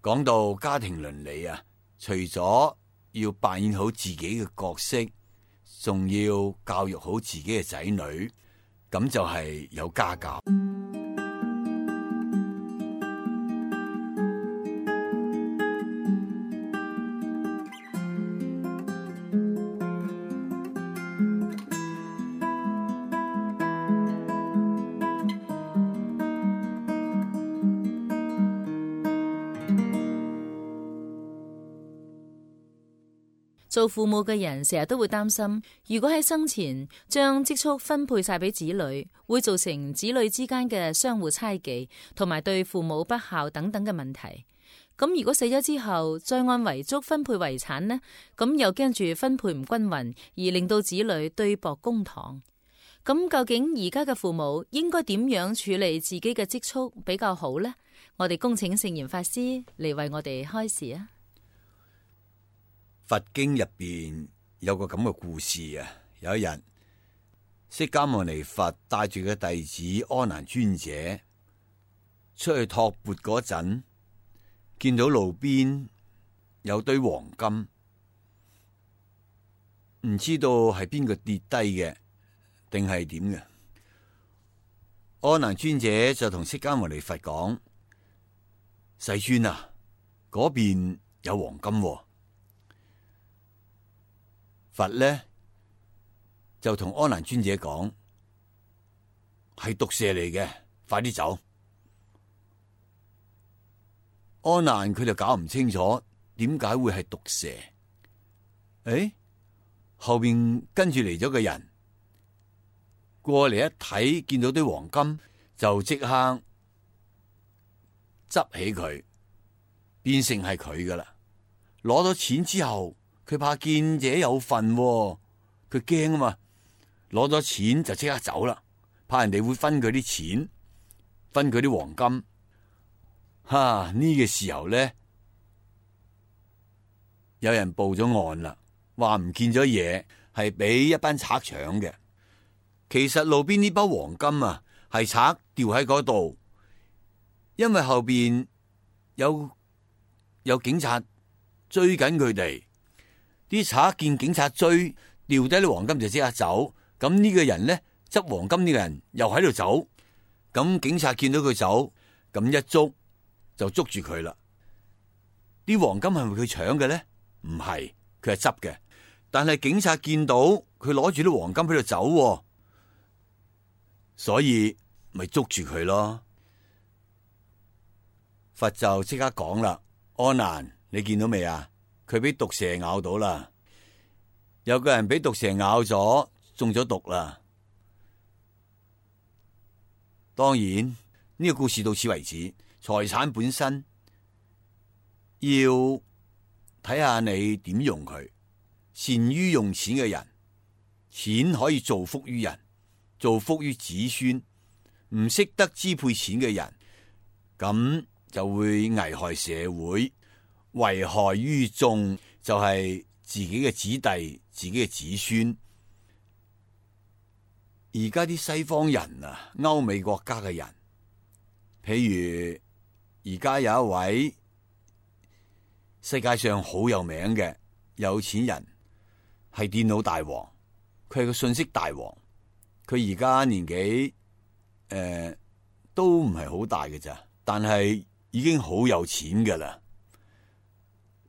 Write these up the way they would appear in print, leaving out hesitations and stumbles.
講到家庭倫理啊，除咗要扮演好自己嘅角色，仲要教育好自己嘅仔女，咁就係有家教。做父母嘅人成日都會擔心，如果喺生前將積蓄分配晒俾子女，會造成子女之間嘅相互猜忌，同埋對父母不孝等等嘅問題。咁如果死咗之後再按遺囑分配遺產呢？咁又驚住分配唔均匀，而令到子女對簿公堂。咁究竟而家嘅父母應該點樣處理自己嘅積蓄比較好呢？我哋恭請聖嚴法師嚟為我哋開示啊！佛經入邊有個咁嘅故事啊，有一日釋迦牟尼佛帶住個弟子阿難尊者出去托缽嗰陣，見到路邊有堆黃金，唔知道係邊個跌低嘅定係點嘅。阿難尊者就同釋迦牟尼佛講：世尊啊，嗰邊有黃金喎。佛呢就同阿難尊者講：係毒蛇嚟嘅，快啲走。阿難佢就搞唔清楚點解會係毒蛇。誒，後邊跟住嚟咗個人過嚟一睇，見到啲黃金就即刻執起佢，變成係佢噶啦。攞咗錢之後，佢怕見者有份，佢驚啊嘛，攞咗錢就即刻走啦，怕人哋會分佢啲錢，分佢啲黃金。呢個時候咧，有人報咗案啦，話唔見咗嘢，係俾一班賊搶嘅。其實路邊呢包黃金啊，係賊掉喺嗰度，因為後邊有警察追緊佢哋。啲賊見警察追，掉低啲黃金就即刻走。咁呢個人呢，執黃金呢個人又喺度走。咁警察見到佢走，咁一捉就捉住佢啦。啲黃金係咪佢搶嘅呢？唔係，佢係執嘅。但係警察見到佢攞住啲黃金喺度走，所以咪捉住佢咯。佛就即刻講啦：阿難，你見到未啊？佢俾毒蛇咬到啦，有個人俾毒蛇咬咗，中咗毒啦。當然呢個故事到此為止。財產本身要睇下你點用佢。善於用錢嘅人，錢可以造福於人，造福於子孫。唔識得支配錢嘅人，咁就會危害社會，危害於眾，就係自己嘅子弟、自己嘅子孫。而家啲西方人啊，歐美國家嘅人，譬如而家有一位世界上好有名嘅有錢人，係電腦大王，佢係個信息大王。佢而家年紀都唔係好大嘅咋，但係已經好有錢噶啦。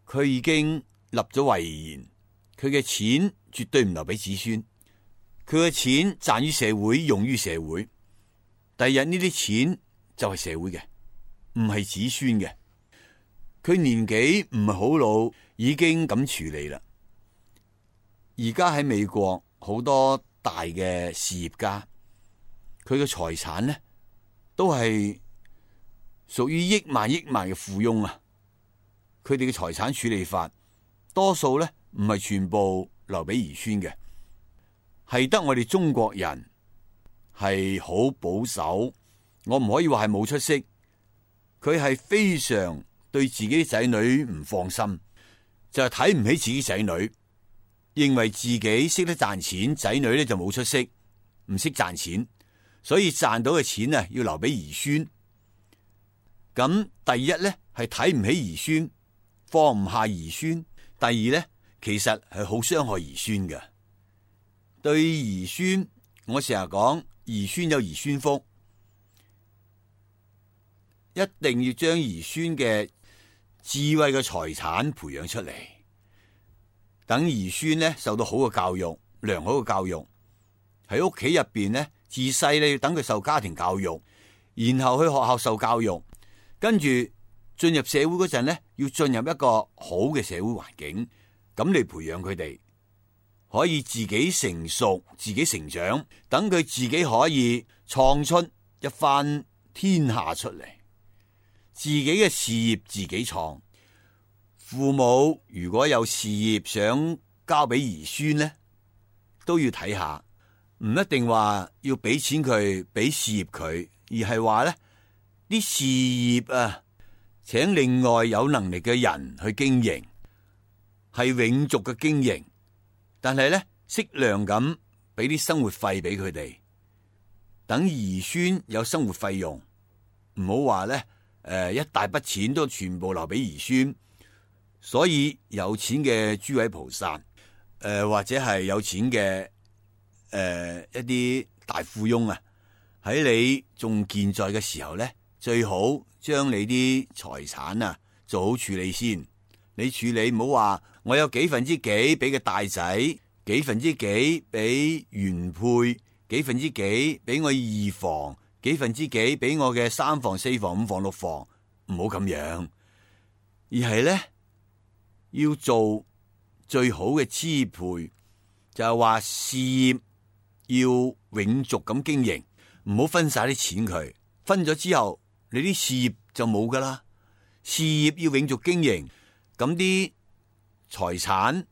佢已經立咗遺言，佢嘅錢絕對唔留俾子孫，佢嘅錢賺於社會，用於社會。第日呢啲錢就係社會嘅，唔係子孫嘅。佢年紀唔係好老，已經咁處理啦。而家喺美國好多大嘅事業家，佢嘅財產呢都係屬於億萬嘅富翁啊。佢哋嘅財產處理法，多數咧唔係全部留俾兒孫嘅，係得我哋中國人係好保守。我唔可以話係冇出息，佢係非常對自己仔女唔放心，就係睇唔起自己仔女，認為自己識得賺錢，仔女咧就冇出息，唔識賺錢，所以賺到嘅錢啊要留俾兒孫。咁第一咧係係睇唔起兒孫，放唔下兒孫。第二呢，其實係好傷害兒孫嘅。對兒孫，我成日講兒孫有兒孫福，一定要將兒孫嘅智慧嘅財產培養出嚟，等兒孫呢受到好嘅教育，良好嘅教育。喺屋企入邊呢，自細呢要等佢受家庭教育，然後去學校受教育，跟住進入社會嗰陣呢，要進入一個好嘅社會環境，咁嚟培養佢哋，可以自己成熟，自己成長，等佢自己可以創出一番天下出嚟，自己嘅事業自己創。父母如果有事業想交俾兒孫呢，都要睇下，唔一定話要俾錢佢，俾事業佢，而係話呢啲事業啊，請另外有能力嘅人去經營，係永續嘅經營，但係呢適量咁俾啲生活費俾佢哋，等兒孫有生活費用，唔好話呢一大筆錢都全部留俾兒孫。所以有錢嘅諸位菩薩，或者係有錢嘅一啲大富翁啊，喺你仲健在嘅時候咧，最好將你啲財產啊做好處理先。你處理唔好話我有幾分之幾俾個大仔，幾分之幾俾原配，幾分之幾俾我二房，幾分之幾俾我嘅三房、四房、五房、六房，唔好咁樣，而係咧。要做最好嘅支配，就係話事業要永續咁經營，唔好分晒啲錢佢，分咗之後你啲事業就冇噶啦。事業要永續經營，咁啲財產、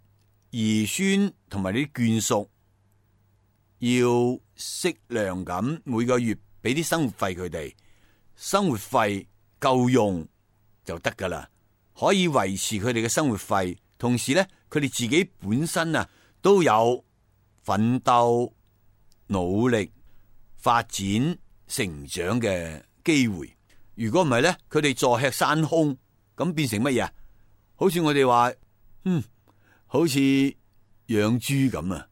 兒孫同埋啲眷屬要適量咁每個月俾啲生活費佢哋，生活費夠用就得噶啦。可以維持佢哋嘅生活費，同時咧，佢哋自己本身啊都有奮鬥、努力、發展、成長嘅機會。如果唔係咧，佢哋坐吃山空，咁變成乜嘢啊？好似我哋話，好似養豬咁啊，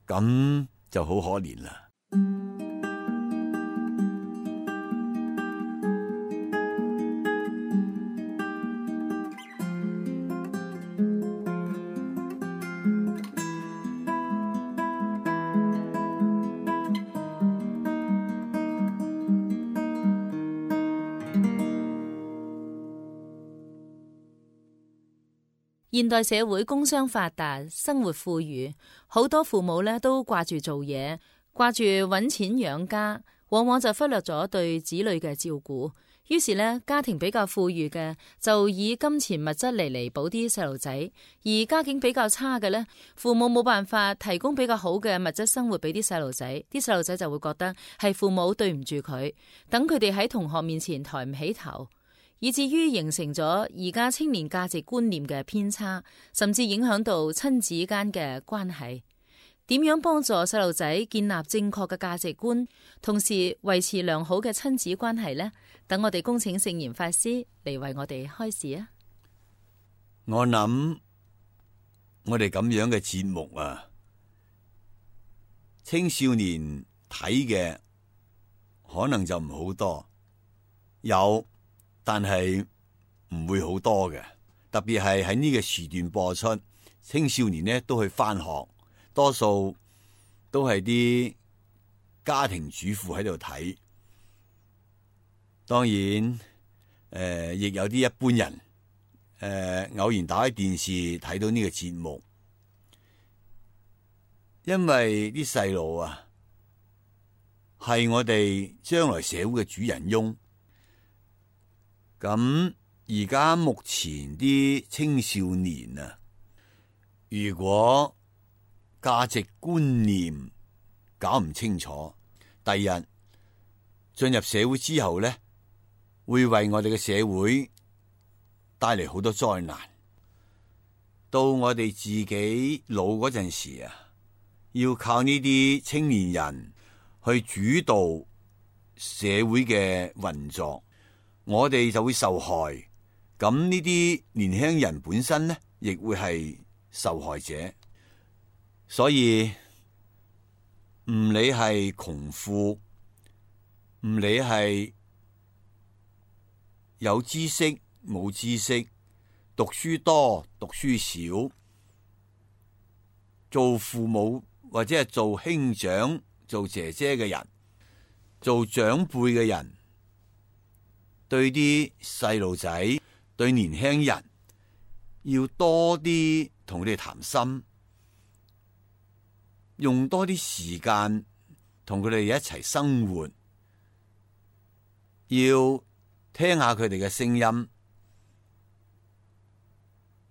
咁就好可憐啦。現代社會工商發達，生活富裕，好多父母咧都掛住做嘢，掛住搵錢養家，往往就忽略咗對子女嘅照顧。於是咧，家庭比較富裕嘅就以金錢物質嚟彌補啲細路仔，而家境比較差嘅咧，父母冇辦法提供比較好嘅物質生活俾啲細路仔，啲細路仔就會覺得係父母對唔住佢，等佢哋喺同學面前抬唔起頭。以至於形成咗而家青年價值觀念嘅偏差，甚至影響到親子間嘅關係。點樣幫助細路仔建立正確嘅價值觀，同時維持良好嘅親子關係呢？等我哋恭請聖嚴法師嚟為我哋開示啊！我諗我哋咁樣嘅節目啊，青少年睇嘅可能就唔好多，有。但係唔會好多嘅，特別係喺呢個時段播出，青少年呢都去返學，多數都係啲家庭主婦喺度睇。當然，亦有啲一般人，偶然打開電視睇到呢個節目，因為啲細路啊，係我哋將來社會嘅主人翁。咁而家目前啲青少年啊，如果價值觀念搞唔清楚，第日進入社會之後咧，會為我哋嘅社會帶嚟好多災難。到我哋自己老嗰陣時啊，要靠呢啲青年人去主導社會嘅運作。我哋就會受害，咁呢啲年輕人本身呢，亦會係受害者。所以唔理係窮富，唔理係有知識冇知識，讀書多讀書少，做父母或者係做兄長、做姐姐嘅人，做長輩嘅人，對啲細路仔、對年輕人，要多啲同佢哋談心，用多啲時間同佢哋一齊生活，要聽下佢哋嘅聲音。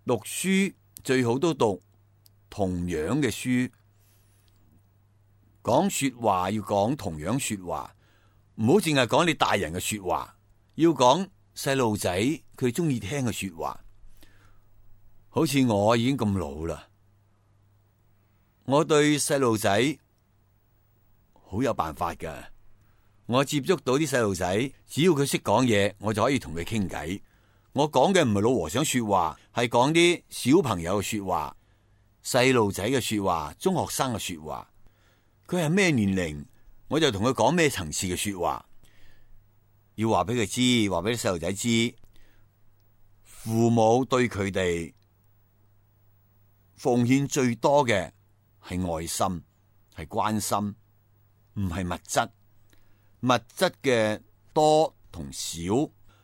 讀書最好都讀同樣嘅書，講說話要講同樣說話，唔好淨係講你大人嘅說話，要講細路仔佢中意聽嘅說話。好似我已經咁老啦，我對細路仔好有辦法㗎。我接觸到啲細路仔，只要佢識講嘢，我就可以同佢傾偈。我講嘅唔係老和尚說話，係講啲小朋友嘅說話、細路仔嘅說話、中學生嘅說話。佢係咩年齡，我就同佢講咩層次嘅說話。要話俾佢知，話俾啲細路仔知，父母對佢哋奉獻最多嘅係愛心，係關心，唔係物質。物質嘅多同少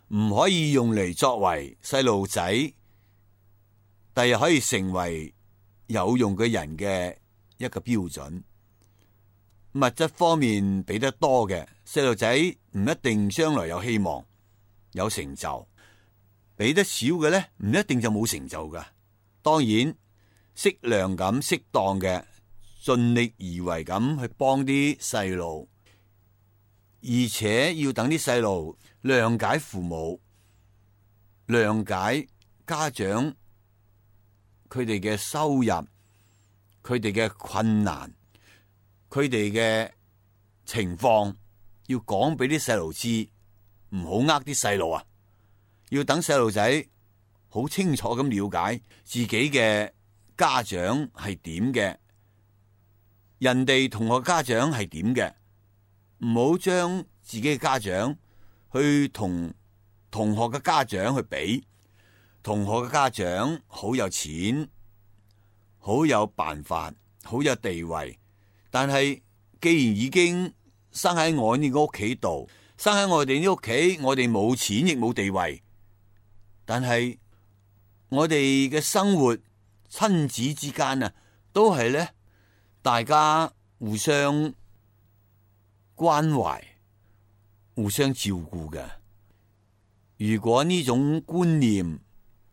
唔可以用嚟作為細路仔第日可以成為有用嘅人嘅一個標準。物質方面俾得多嘅細路仔唔一定將來有希望有成就，俾得少嘅咧唔一定就冇成就噶。當然適量咁適當嘅盡力而為咁去幫啲細路，而且要等啲細路諒解父母，諒解家長佢哋嘅收入，佢哋嘅困難，佢哋嘅情況，要講俾啲細路知，唔好呃啲細路啊！要等細路仔好清楚咁了解自己嘅家長係點嘅，人哋同學家長係點嘅，唔好將自己嘅家長去同同學嘅家長去比。同學嘅家長好有錢，好有辦法，好有地位，但係既然已經生喺我呢個屋企度，生喺我哋呢屋企，我哋冇錢亦冇地位，但係我哋嘅生活親子之間啊，都係咧大家互相關懷、互相照顧嘅。如果呢種觀念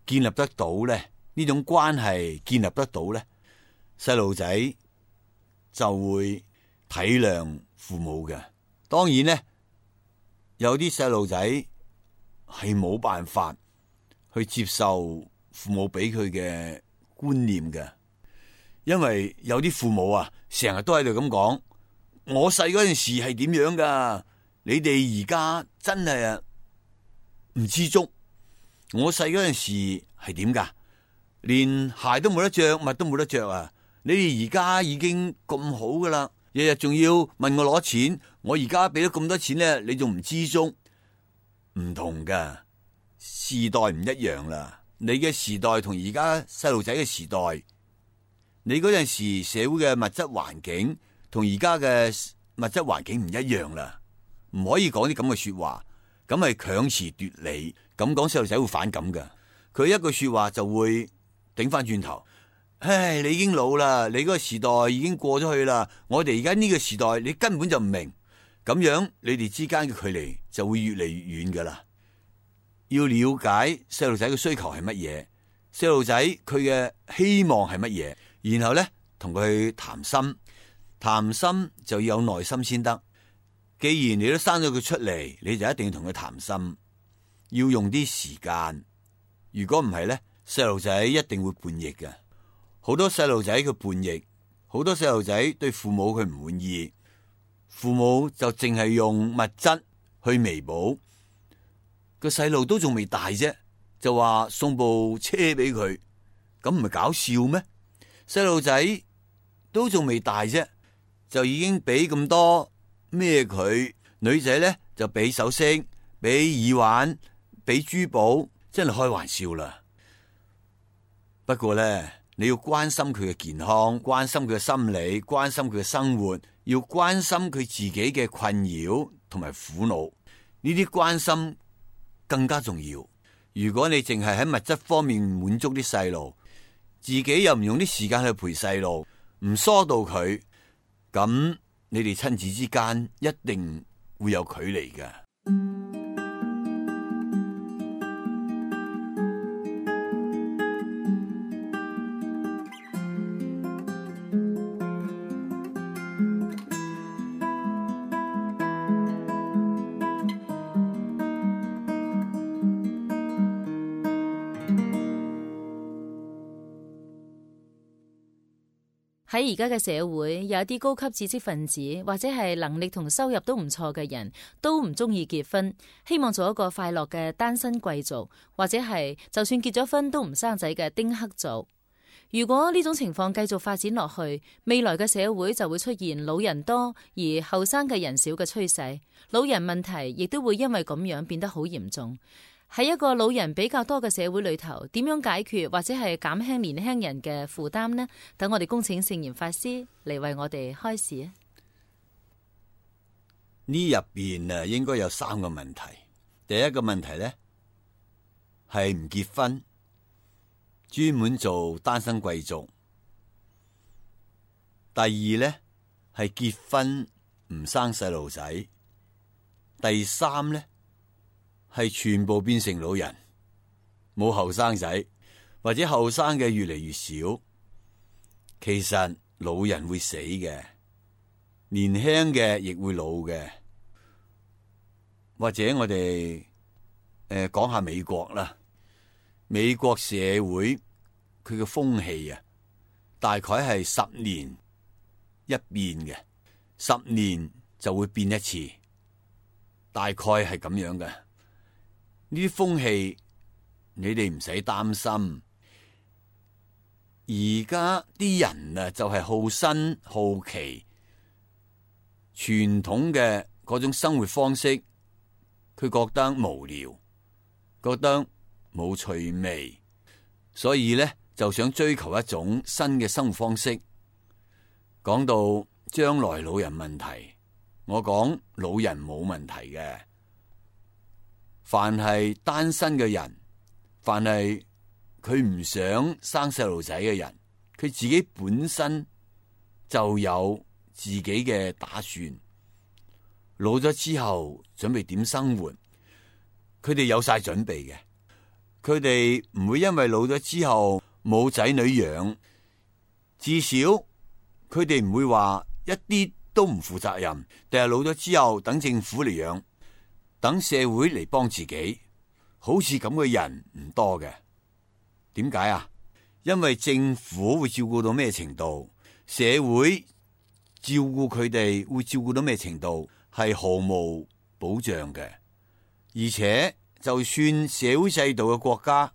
建立得到咧，呢種關係建立得到咧，細路仔就會體諒父母嘅。當然咧，有啲細路仔係冇辦法去接受父母俾佢嘅觀念嘅，因為有啲父母啊，成日都喺度咁講，我細嗰陣時係點樣噶，你哋而家真係啊唔知足。我細嗰陣時係點噶？連鞋都冇得着，襪都冇得着啊！你哋而家已經咁好噶啦，日日仲要問我攞錢，我而家俾咗咁多錢咧，你仲唔知足？唔同噶，時代唔一樣啦。你嘅時代同而家細路仔嘅時代，你嗰陣時社會嘅物質環境同而家嘅物質環境唔一樣啦，唔可以講啲咁嘅說話，咁係強詞奪理。咁講細路仔會反感噶，佢一句說話就會頂翻轉頭。唉，你已經老啦，你嗰個時代已經過咗去啦，我哋而家呢個時代你根本就唔明，咁樣你哋之間嘅距離就會越嚟越遠噶啦。要了解細路仔嘅需求係乜嘢，細路仔佢嘅希望係乜嘢，然後咧同佢談心，談心就要有耐心先得。既然你都生咗佢出嚟，你就一定要同佢談心。要用啲時間，如果唔係咧，細路仔一定會叛逆嘅。好多細路仔佢叛逆，好多細路仔對父母佢唔滿意，父母就淨係用物質去彌補。個細路都仲未大啫，就話送部車俾佢，咁唔係搞笑咩？細路仔都仲未大啫，就已經俾咁多咩佢？女仔咧就俾首飾、俾耳環、俾珠寶，真係開玩笑啦。不過咧，你要關心佢嘅健康，關心佢嘅心理，關心佢嘅生活，要關心佢自己嘅困擾同埋苦惱，呢啲關心更加重要。如果你淨係喺物質方面滿足啲細路，自己又唔用啲時間去陪細路，唔疏導佢，咁你哋親子之間一定會有距離㗎。喺而家嘅社會，有一啲高級知識分子或者係能力同收入都唔錯嘅人，都唔中意結婚，希望做一個快樂嘅單身貴族，或者係就算結咗婚都唔生仔嘅丁克族。如果呢種情況繼續發展落去，未來嘅社會就會出現老人多而後生嘅人少嘅趨勢，老人問題亦都會因為咁樣變得好嚴重。喺一個老人比較多嘅社會裏頭，點樣解決或者係減輕年輕人嘅負擔呢？等我哋恭請聖嚴法師嚟為我哋開示啊！呢入邊應該有3個問題。第一個問題呢，係唔結婚，專門做單身貴族。第二呢，係結婚唔生細路仔。第三呢，係全部變成老人，冇後生仔，或者後生嘅越嚟越少。其實老人會死嘅，年輕嘅亦會老嘅。或者我哋講下美國啦，美國社會佢嘅風氣啊，大概係10年一變嘅，10年就會變一次，大概係咁樣嘅。呢啲風氣你哋唔使擔心。而家啲人啊，就係好新好奇，傳統嘅嗰種生活方式，佢覺得無聊，覺得冇趣味，所以咧就想追求一種新嘅生活方式。講到將來老人問題，我講老人冇問題嘅。凡係單身嘅人，凡係佢唔想生細路仔嘅人，佢自己本身就有自己嘅打算。老咗之後準備點生活，佢哋有晒準備嘅。佢哋唔會因為老咗之後冇仔女養，至少佢哋唔會話一啲都唔負責任，定係老咗之後等政府嚟養，等社會嚟幫自己。好似咁嘅人唔多嘅。點解啊？因為政府會照顧到咩程度，社會照顧佢哋會照顧到咩程度，係毫無保障嘅。而且就算社會制度嘅國家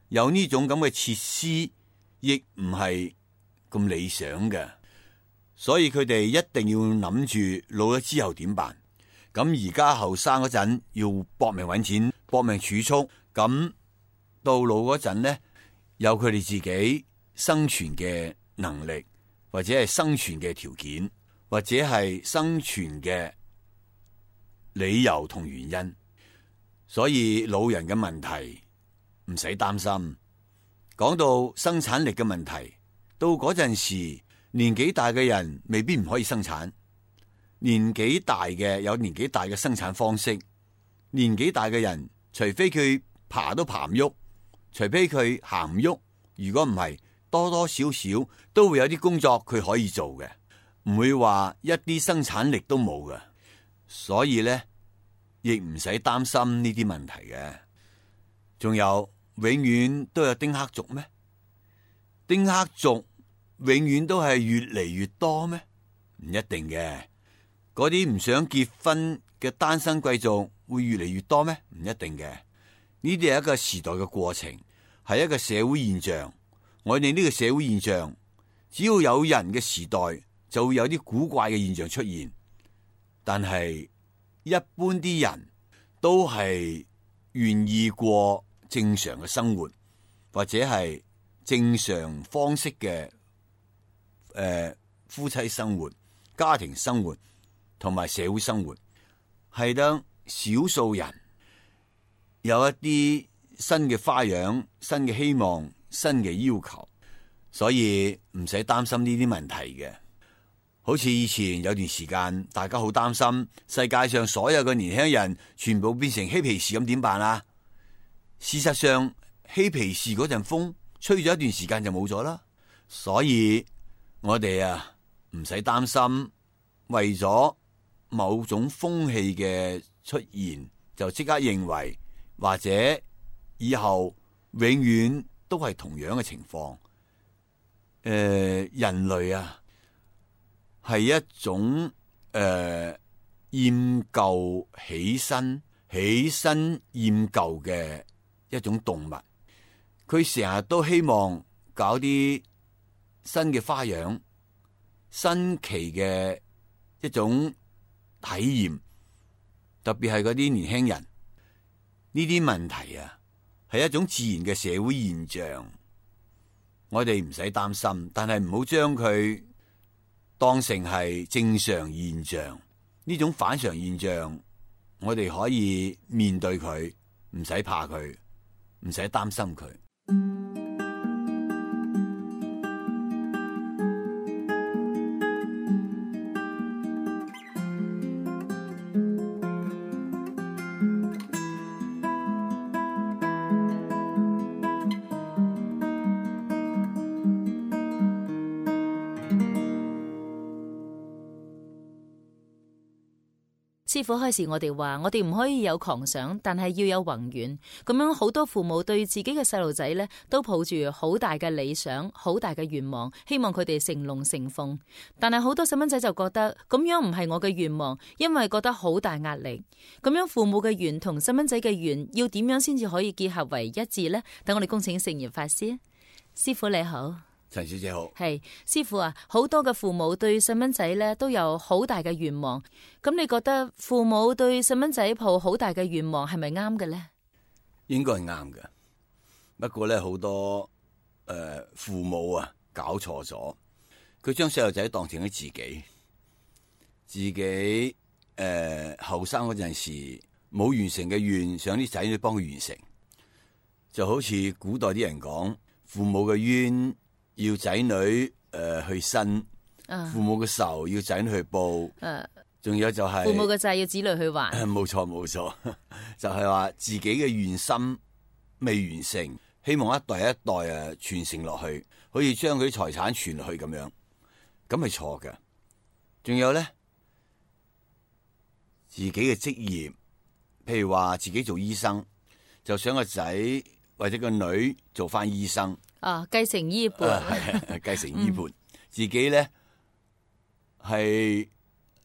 有呢種咁嘅設施，亦唔係咁理想嘅。所以佢哋一定要諗住老咗之後點辦。咁而家後生嗰陣要搏命搵錢，搏命儲蓄，咁到老嗰陣呢，有佢哋自己生存嘅能力，或者係生存嘅條件，或者係生存嘅理由同原因。所以老人嘅問題唔使擔心。講到生產力嘅問題，到嗰陣時年紀大嘅人未必唔可以生產。年紀大嘅有年紀大嘅生產方式，年紀大嘅人除非佢爬都爬唔喐，除非佢行唔喐，如果唔係，多多少少都會有啲工作佢可以做嘅，唔會話一啲生產力都冇嘅。所以咧，亦唔使擔心呢啲問題嘅。仲有，永遠都有丁克族咩？丁克族永遠都係越嚟越多咩？唔一定嘅。嗰啲唔想結婚嘅單身貴族會越嚟越多咩？唔一定嘅。呢啲係一個時代嘅過程，係一個社會現象。我哋呢個社會現象，只要有人嘅時代，就會有啲古怪嘅現象出現。但係一般啲人都係願意過正常嘅生活，或者係正常方式嘅夫妻生活、家庭生活同埋社會生活，係得少數人有一啲新嘅花樣、新嘅希望、新嘅要求，所以唔使擔心呢啲問題嘅。好似以前有段時間，大家好擔心世界上所有嘅年輕人全部變成嬉皮士咁，點辦啊？事實上，嬉皮士嗰陣風吹咗一段時間就冇咗啦。所以我哋唔使擔心，為咗某種風氣嘅出現，就即刻認為或者以後永遠都係同樣嘅情況。人類係一種厭舊起身厭舊嘅一種動物。佢成日都希望搞啲新嘅花樣、新奇嘅一種體驗，特別係嗰啲年輕人。呢啲問題係一種自然嘅社會現象，我哋唔使擔心，但係唔好將佢當成係正常現象。呢種反常現象，我哋可以面對佢，唔使怕佢，唔使擔心佢。師父開始我哋話，我哋唔可以有狂想，但係要有宏願。咁樣好多父母對自己嘅細路仔呢，都抱住好大嘅理想、好大嘅願望，希望佢哋成龍成鳳。但係好多細蚊仔就覺得咁樣唔係我嘅願望，因為覺得好大壓力。咁樣父母嘅願同細蚊仔嘅願要點樣先至可以結合為一致呢？等我哋恭請聖嚴法師。師父你好。陳小姐好。係師父好多嘅父母對細蚊仔咧都有好大嘅願望。咁你覺得父母對細蚊仔抱好大嘅願望係咪啱嘅咧？應該係啱嘅。不過咧，好多父母搞錯咗，佢將細路仔當成咗自己後生嗰陣時冇完成嘅願，想啲仔女幫佢完成。就好似古代啲人講，父母嘅冤要仔女去伸，父母嘅仇要仔女去報，仲有就係父母嘅債要子女去還。冇錯，就係話自己嘅願心未完成，希望一代一代傳承落去，可以將佢啲財產傳落去咁樣，咁係錯嘅。仲有咧，自己嘅職業，譬如話自己做醫生，就想個仔或者個女做翻醫生。繼承衣缽，繼承衣缽。自己咧係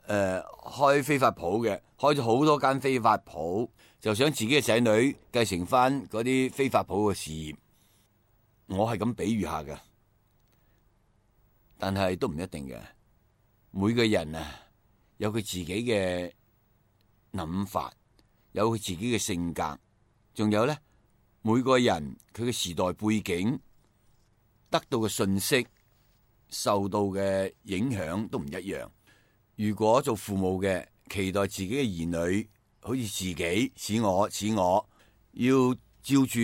開飛髮鋪嘅，開咗好多間飛髮鋪，就想自己嘅仔女繼承翻嗰啲飛髮鋪嘅事業。我係咁比喻下嘅，但係都唔一定嘅。每個人有佢自己嘅諗法，有佢自己嘅性格，仲有咧，每個人佢嘅時代背景，得到嘅信息、受到嘅影響都唔一樣。如果做父母嘅期待自己嘅兒女好似自己似我，要照住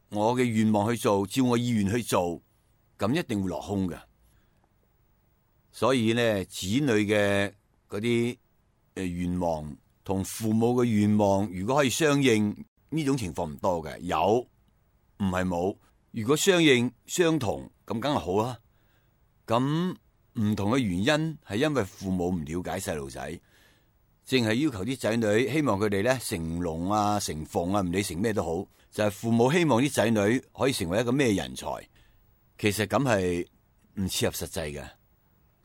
我嘅願望去做，照我意願去做，咁一定會落空嘅。所以咧，子女嘅嗰啲願望同父母嘅願望，如果可以相應，呢種情況唔多嘅，有唔係冇。如果相應相同，咁梗係好啦。咁唔同嘅原因係因為父母唔了解細路仔，淨係要求啲仔女，希望佢哋咧成龍成鳳唔理成咩都好，就係父母希望啲仔女可以成為一個咩人才。其實咁係唔切合實際嘅，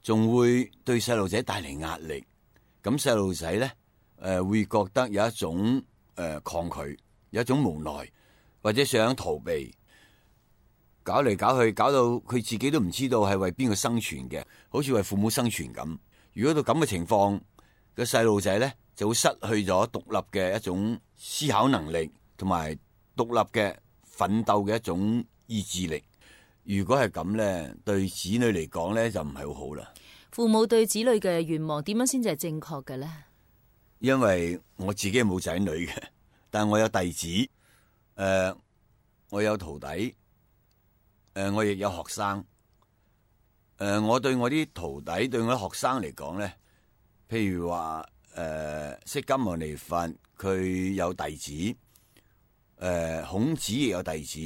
仲會對細路仔帶嚟壓力。咁細路仔咧會覺得有一種抗拒，有一種無奈。或者想逃避，搞嚟搞去，搞到佢自己都唔知道係為邊個生存嘅，好似為父母生存咁。如果到咁嘅情況，個細路仔咧就會失去咗獨立嘅一種思考能力，同埋獨立嘅奮鬥嘅一種意志力。如果係咁咧，對子女嚟講咧就唔係好好啦。父母對子女嘅願望點樣先至係正確嘅咧？因為我自己冇仔女嘅，但我有弟子，我有徒弟，我亦有學生。我對我啲徒弟，對我啲學生嚟講咧，譬如話釋迦牟尼佛佢有弟子，孔子亦有弟子。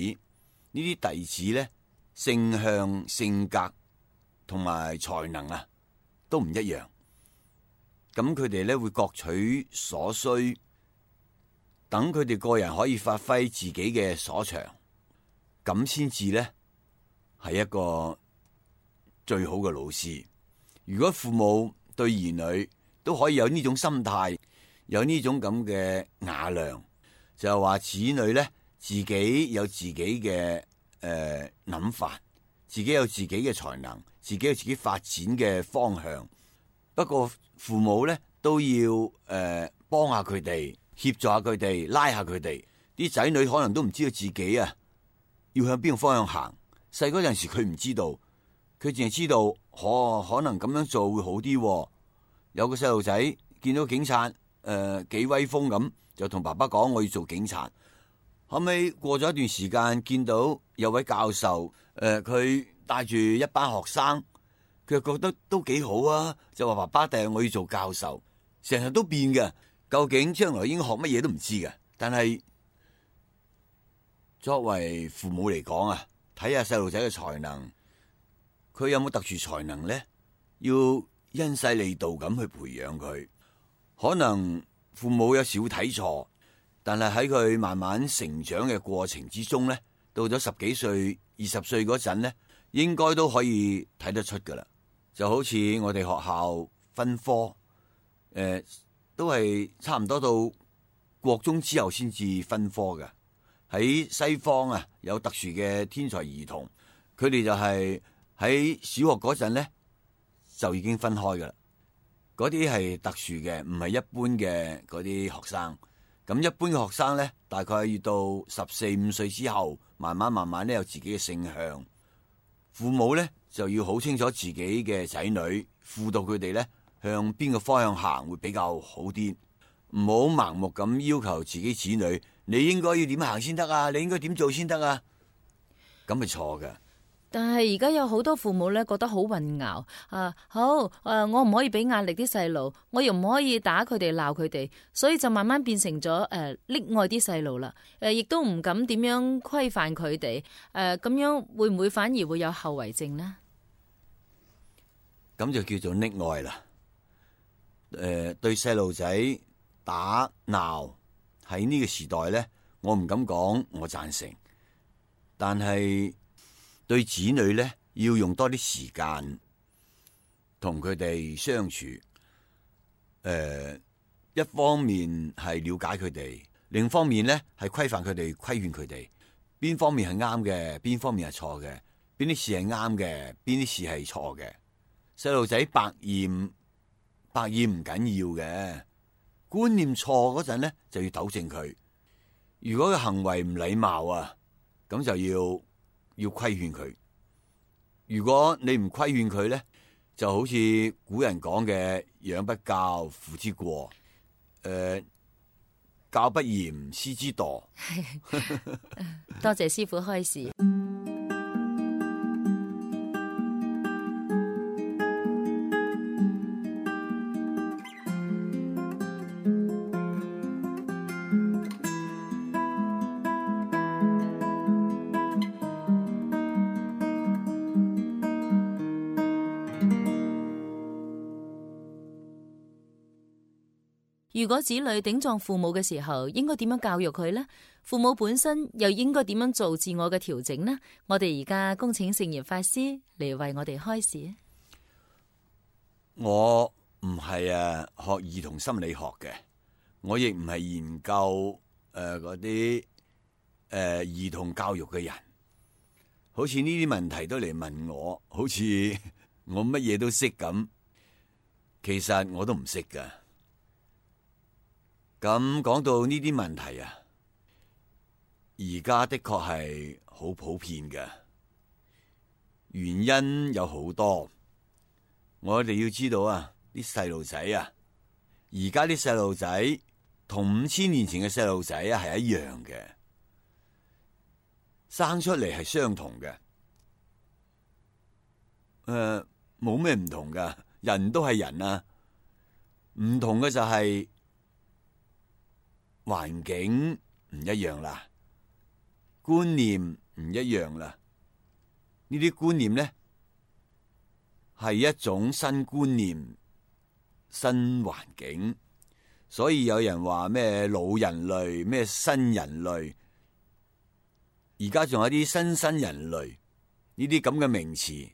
呢啲弟子咧，性向、性格同埋才能啊，都唔一樣。咁佢哋咧會各取所需，等佢哋個人可以發揮自己嘅所長，咁先至咧係一個最好嘅老師。如果父母對兒女都可以有呢種心態，有呢種咁嘅雅量，就係話子女咧自己有自己嘅諗法，自己有自己嘅才能，自己有自己發展嘅方向。不過父母咧都要幫下佢哋，協助下佢哋，拉下佢哋。啲仔女可能都唔知道自己啊要向邊個方向行。細嗰陣時佢唔知道，佢淨係知道可能咁樣做會好啲。有個細路仔見到警察幾威風咁，就同爸爸講我要做警察。後尾過咗一段時間，見到有位教授佢帶住一班學生，佢又覺得都幾好啊，就話爸爸第日我要做教授。成日都變嘅，究竟將來應該學乜嘢都唔知嘅。但係作為父母嚟講啊，睇下細路仔嘅才能，佢有冇特殊才能咧？要因勢利導咁去培養佢。可能父母有時會睇錯，但係喺佢慢慢成長嘅過程之中咧，到咗10幾歲、20歲嗰陣咧，應該都可以睇得出噶啦。就好似我哋學校分科，都係差唔多到國中之後先至分科嘅。喺西方啊，有特殊嘅天才兒童，佢哋就係喺小學嗰陣咧就已經分開噶啦。嗰啲係特殊嘅，唔係一般嘅嗰啲學生。咁一般嘅學生咧，大概要到14、15歲之後，慢慢咧有自己嘅性向。父母咧就要好清楚自己嘅仔女，輔導佢哋咧向邊個方向行會比較好啲，唔好盲目咁要求自己子女，你應該要點行先得啊，你應該點做先得啊，咁係錯嘅。但係而家有好多父母咧覺得好混淆我唔可以俾壓力啲細路，我又唔可以打佢哋鬧佢哋，所以就慢慢變成咗溺愛啲細路啦。亦都唔敢點樣規範佢哋，咁樣會唔會反而會有後遺症呢？咁就叫做溺愛啦。對細路仔打鬧喺呢個時代咧，我唔敢講我贊成，但係對子女咧，要用多啲時間同佢哋相處。一方面係了解佢哋，另一方面咧係規範佢哋、規勸佢哋。邊方面係啱嘅，邊方面係錯嘅，邊啲事係啱嘅，邊啲事係錯嘅。細路仔百厭唔緊要嘅，觀念錯嗰陣咧就要糾正佢。如果佢行為唔禮貌啊，咁就要規勸佢。如果你唔規勸佢咧，就好似古人講嘅養不教，父之過。教不嚴，師之惰。多謝師傅開示。如果子女頂撞父母嘅時候，應該點樣教育佢呢？父母本身又應該點樣做自我嘅調整呢？我哋而家恭請聖嚴法師嚟為我哋開示。我唔係學兒童心理學嘅，我亦唔係研究嗰啲兒童教育嘅人，好似呢啲問題都嚟問我，好似我乜嘢都識咁，其實我都唔識噶。咁講到呢啲問題啊，而家的確係好普遍嘅，原因有好多。我哋要知道啊，啲細路仔啊，而家啲細路仔同5000年前嘅細路仔啊係一樣嘅，生出嚟係相同嘅，冇咩唔同噶，人都係人啊，唔同嘅就係環境唔一樣啦，觀念唔一樣啦，呢啲觀念咧係一種新觀念、新環境，所以有人話咩老人類、咩新人類，而家仲有啲新人類，呢啲咁嘅名詞，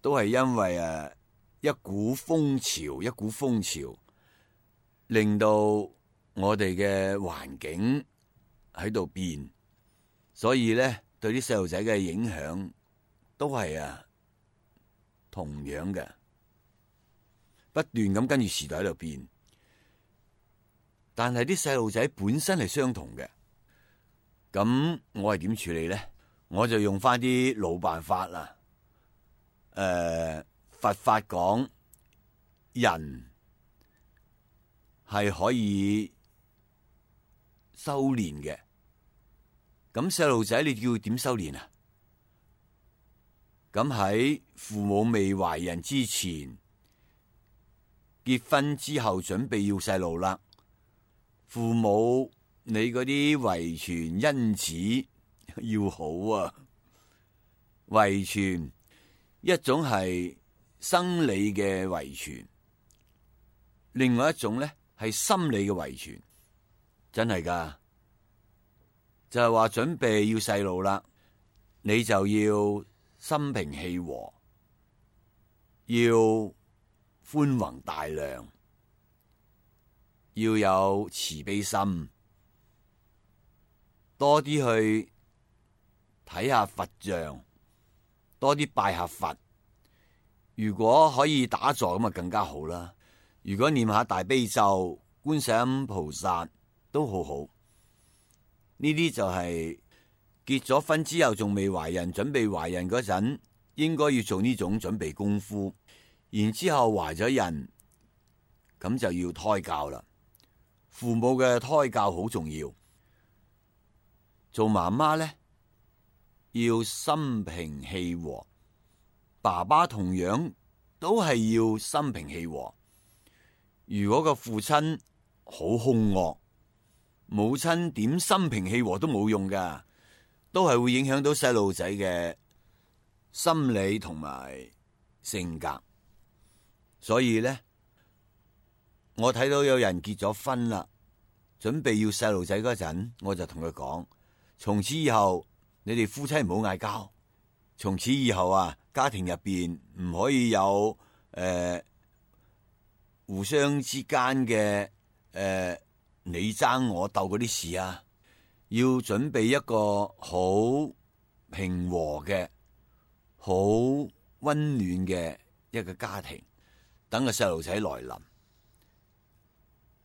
都係因為一股風潮，令到我哋嘅環境喺度變，所以咧對啲細路仔嘅影響都係同樣嘅，不斷咁跟住時代喺度變。但係啲細路仔本身係相同嘅，咁我係點處理咧？我就用翻啲老辦法啦。佛法講人係可以修煉嘅，咁細路仔你叫佢點修煉啊？咁喺父母未懷孕之前，結婚之後準備要細路啦，父母你嗰啲遺傳因子要好啊。遺傳一種係生理嘅遺傳，另外一種咧係心理嘅遺傳，真係噶，就係話準備要細路啦，你就要心平氣和，要寬宏大量，要有慈悲心，多啲去睇下佛像，多啲拜下佛。如果可以打坐咁啊，更加好啦。如果念下大悲咒、觀世音菩薩都好好。呢啲就係結咗婚之後仲未懷孕，準備懷孕嗰陣，應該要做呢種準備功夫。然之後懷咗孕，咁就要胎教啦。父母嘅胎教好重要。做媽媽咧，要心平氣和。爸爸同樣都係要心平氣和。如果個父親好兇惡，母親點心平氣和都冇用噶，都係會影響到細路仔嘅心理同埋性格。所以咧，我睇到有人結咗婚啦，準備要細路仔嗰陣，我就同佢講：從此以後，你哋夫妻唔好嗌交。從此以後啊，家庭入邊唔可以有互相之間嘅你爭我鬥嗰啲事啊，要準備一個好平和嘅、好溫暖嘅一個家庭，等個細路仔來臨。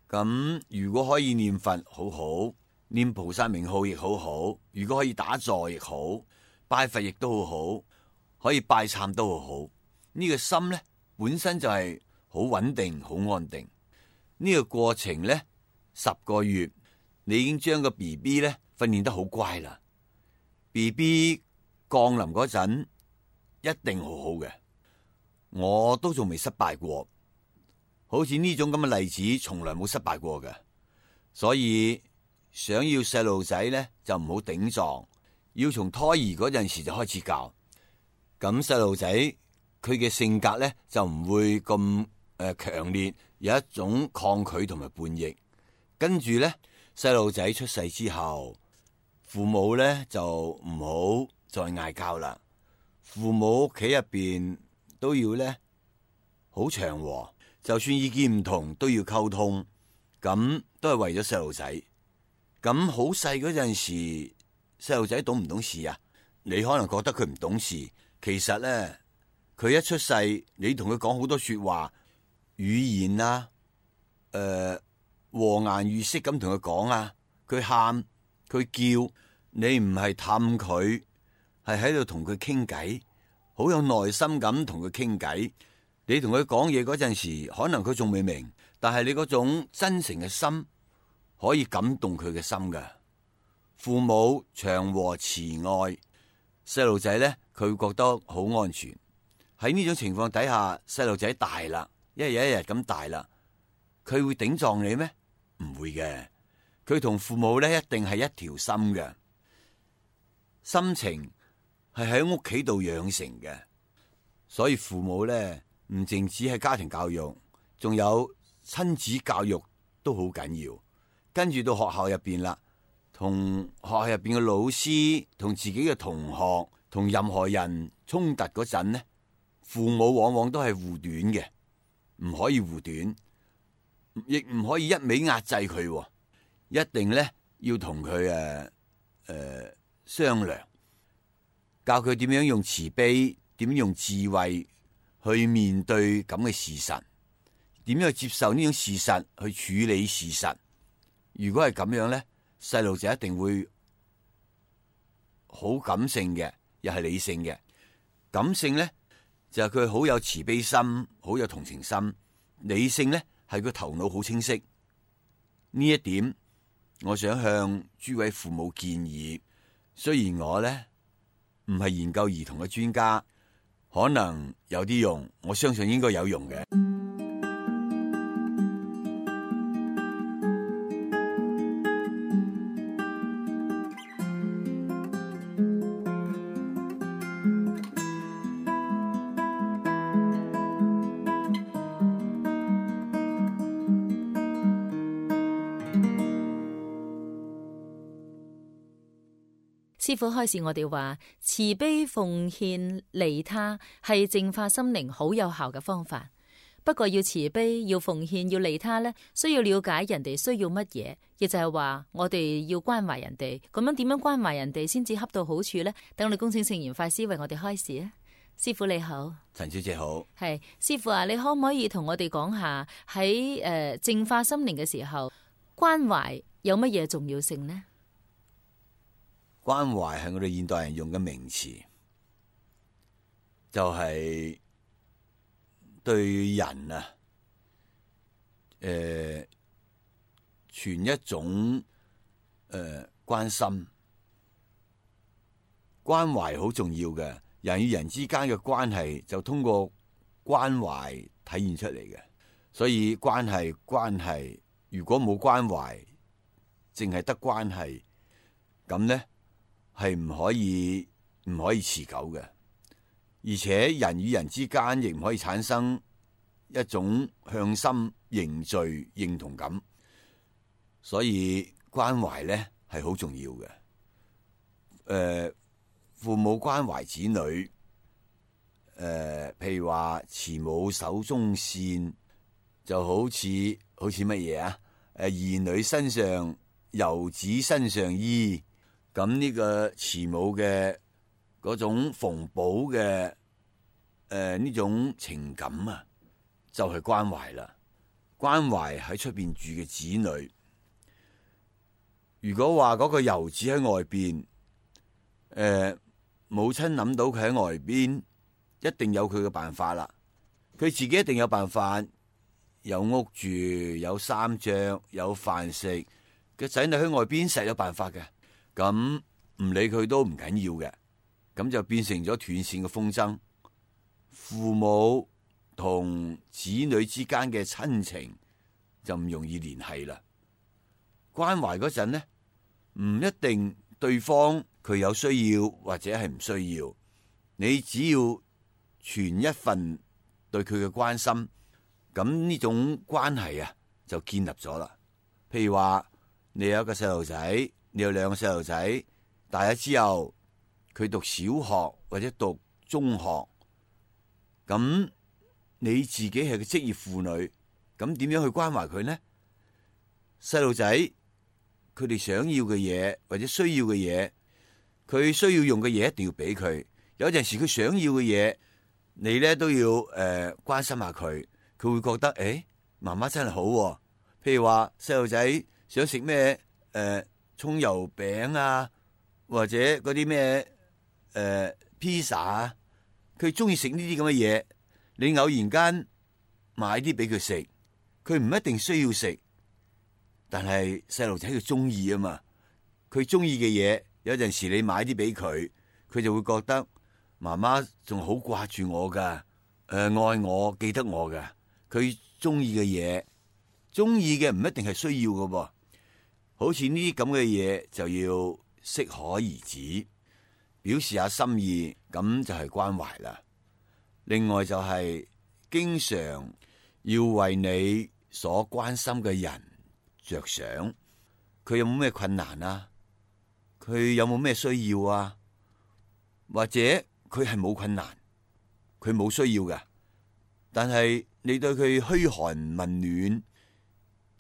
咁如果可以念佛好好，念菩薩名號亦好好，如果可以打坐亦好，拜佛亦都好好，可以拜懺都好好。呢個心咧本身就係好穩定、好安定。呢個過程咧10個月，你已經將個 BB 咧訓練得好乖啦。BB 降臨嗰陣一定好好嘅，我都仲未失敗過。好似呢種咁嘅例子，從來冇失敗過嘅。所以想要細路仔咧，就唔好頂撞。要從胎兒嗰陣時就開始教，咁細路仔佢嘅性格咧就唔會咁強烈，有一種抗拒同埋叛逆。跟住咧，細路仔出世之後，父母咧就唔好再嗌交啦。父母屋企入邊都要咧好祥和，就算意見唔同都要溝通，咁都係為咗細路仔。咁好細嗰陣時，細路仔懂唔懂事啊？你可能覺得佢唔懂事，其實咧佢一出世，你同佢講好多說話語言啊，和顏悅色咁同佢講啊，佢喊佢叫，你唔係氹佢，係喺度同佢傾偈，好有耐心咁同佢傾偈。你同佢講嘢嗰陣時，可能佢仲未明，但係你嗰種真誠嘅心可以感動佢嘅心㗎。父母祥和慈愛，細路仔咧佢會覺得好安全。喺呢種情況底下，細路仔大啦，一日一日咁大啦，佢會頂撞你咩？唔會嘅，佢同父母咧一定係一條心嘅。心情係喺屋企度養成嘅，所以父母咧唔淨止係家庭教育，仲有親子教育都好緊要。跟住到學校入邊啦，同學校入邊嘅老師、同自己嘅同學、同任何人衝突嗰陣呢，父母往往都係護短嘅，唔可以護短，亦唔可以一味壓制佢，一定咧要同佢商量，教佢點樣用慈悲，點樣用智慧去面對咁嘅事實，點樣去接受呢種事實，去處理事實。如果係咁樣咧，細路仔一定會好感性嘅，又係理性嘅。感性咧就係佢好有慈悲心，好有同情心；理性咧係佢頭腦好清晰。呢一點，我想向諸位父母建議。雖然我咧唔係研究兒童嘅專家，可能有啲用，我相信應該有用嘅。師父開示我哋話，慈悲奉獻利他係淨化心靈好有效嘅方法。不過要慈悲、要奉獻、要利他呢，需要了解人哋需要乜嘢，亦就係話我哋要關懷人哋。咁樣點樣關懷人哋先至恰到好處呢？等我哋恭請聖嚴法師為我哋開示啊！師父你好，陳小姐好。係師父啊，你可唔可以同我哋講下喺淨化心靈嘅時候，關懷有乜嘢重要性呢？關懷係我哋現代人用嘅名詞，就係對人啊，存一種關心、關懷好重要嘅。人與人之間嘅關係就通過關懷體現出嚟嘅，所以關係如果冇關懷，淨係得關係，咁咧係唔可以持久嘅。而且人與人之間亦唔可以產生一種向心凝聚認同感，所以關懷咧係好重要嘅。父母關懷子女，譬如話慈母手中線，就好似乜嘢啊？兒女身上遊子身上衣，咁呢個慈母嘅嗰種縫補嘅呢種情感啊，就係關懷啦。關懷喺出邊住嘅子女，如果話嗰個遊子喺外邊，母親諗到佢喺外邊，一定有佢嘅辦法啦。佢自己一定有辦法，有屋住，有衫着，有飯食。個仔女喺外邊實有辦法嘅，咁唔理佢都唔緊要嘅，咁就變成咗斷線嘅風箏。父母同子女之間嘅親情就唔容易聯繫啦。關懷嗰陣呢，唔一定對方佢有需要或者係唔需要，你只要存一份對佢嘅關心，咁呢種關係啊就建立咗啦。譬如話你有一個細路仔，你有兩個細路仔，大咗之後佢讀小學或者讀中學，咁你自己係個職業婦女，咁點樣去關懷佢呢？細路仔佢哋想要嘅嘢或者需要嘅嘢，佢需要用嘅嘢一定要俾佢。有陣時佢想要嘅嘢，你咧都要關心下佢。佢會覺得媽媽真係好喎。譬如話細路仔想食咩葱油餅啊，或者嗰啲咩披薩啊，佢中意食呢啲咁嘅嘢，你偶然間買啲俾佢食，佢唔一定需要食，但係細路仔佢中意啊嘛。佢中意嘅嘢，有陣時你買啲俾佢，佢就會覺得媽媽仲好掛住我噶，愛我記得我噶。佢中意嘅嘢，中意嘅唔一定係需要噶噃。好似呢啲咁嘅嘢就要適可而止，表示下心意，咁就係關懷啦。另外就係經常要為你所關心嘅人着想，佢有冇咩困難啊？佢有冇咩需要啊？或者佢係冇困難，佢冇需要嘅，但係你對佢噓寒問暖，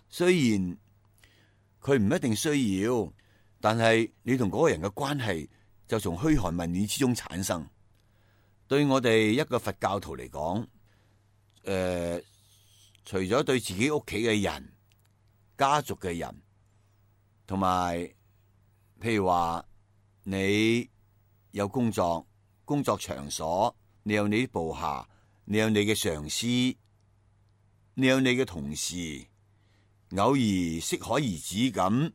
雖然佢唔一定需要，但係你同嗰個人嘅關係就從噓寒問暖之中產生。對我哋一個佛教徒嚟講，除咗對自己屋企嘅人、家族嘅人，同埋譬如話你有工作場所，你有你啲部下，你有你嘅上司，你有你嘅同事，偶爾適可而止咁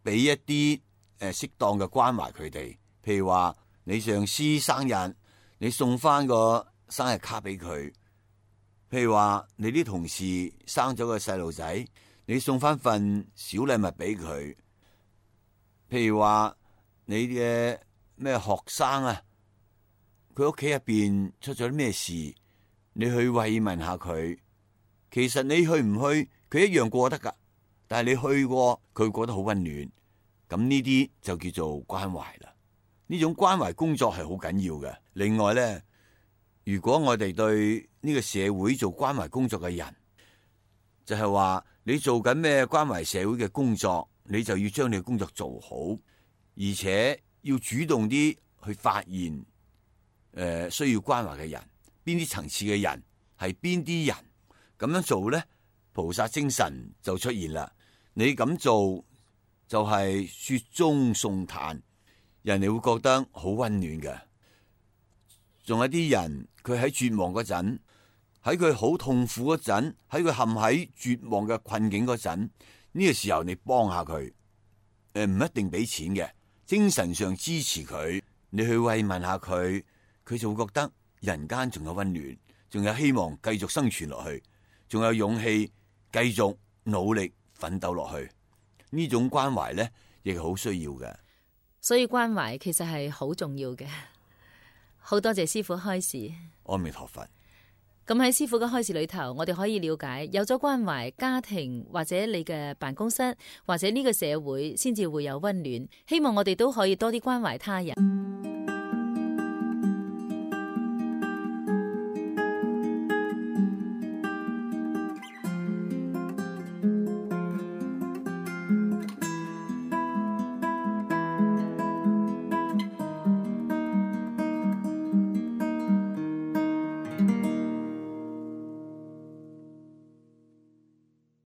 俾一啲適當嘅關懷佢哋。譬如話你上司生日，你送翻個生日卡俾佢；譬如話你啲同事生咗個細路仔，你送翻份小禮物俾佢；譬如話你嘅咩學生啊，佢屋企入邊出咗啲咩事，你去慰問下佢。其實你去唔去，佢一樣過得噶，但係你去過，佢覺得好溫暖。咁呢啲就叫做關懷啦。呢種關懷工作係好緊要嘅。另外咧，如果我哋對呢個社會做關懷工作嘅人，就係話你做緊咩關懷社會嘅工作，你就要將你嘅工作做好，而且要主動啲去發現需要關懷嘅人，邊啲層次嘅人係邊啲人，咁樣做咧，菩薩精神就出現啦。你咁做就係雪中送炭，人哋會覺得好溫暖嘅。仲有啲人佢喺絕望嗰陣，喺佢好痛苦嗰陣，喺佢陷喺絕望嘅困境嗰陣，呢個時候你幫下佢，唔一定俾錢嘅，精神上支持佢，你去慰問下佢，佢就會覺得人間仲有溫暖，仲有希望繼續生存落去，仲有勇氣繼續努力奮鬥落去。呢種關懷咧，亦係好需要嘅。所以關懷其實係好重要嘅。好多謝師父開示。阿彌陀佛。咁喺師父嘅開示裏頭，我哋可以了解，有咗關懷，家庭或者你嘅辦公室或者呢個社會先至會有溫暖。希望我哋都可以多啲關懷他人。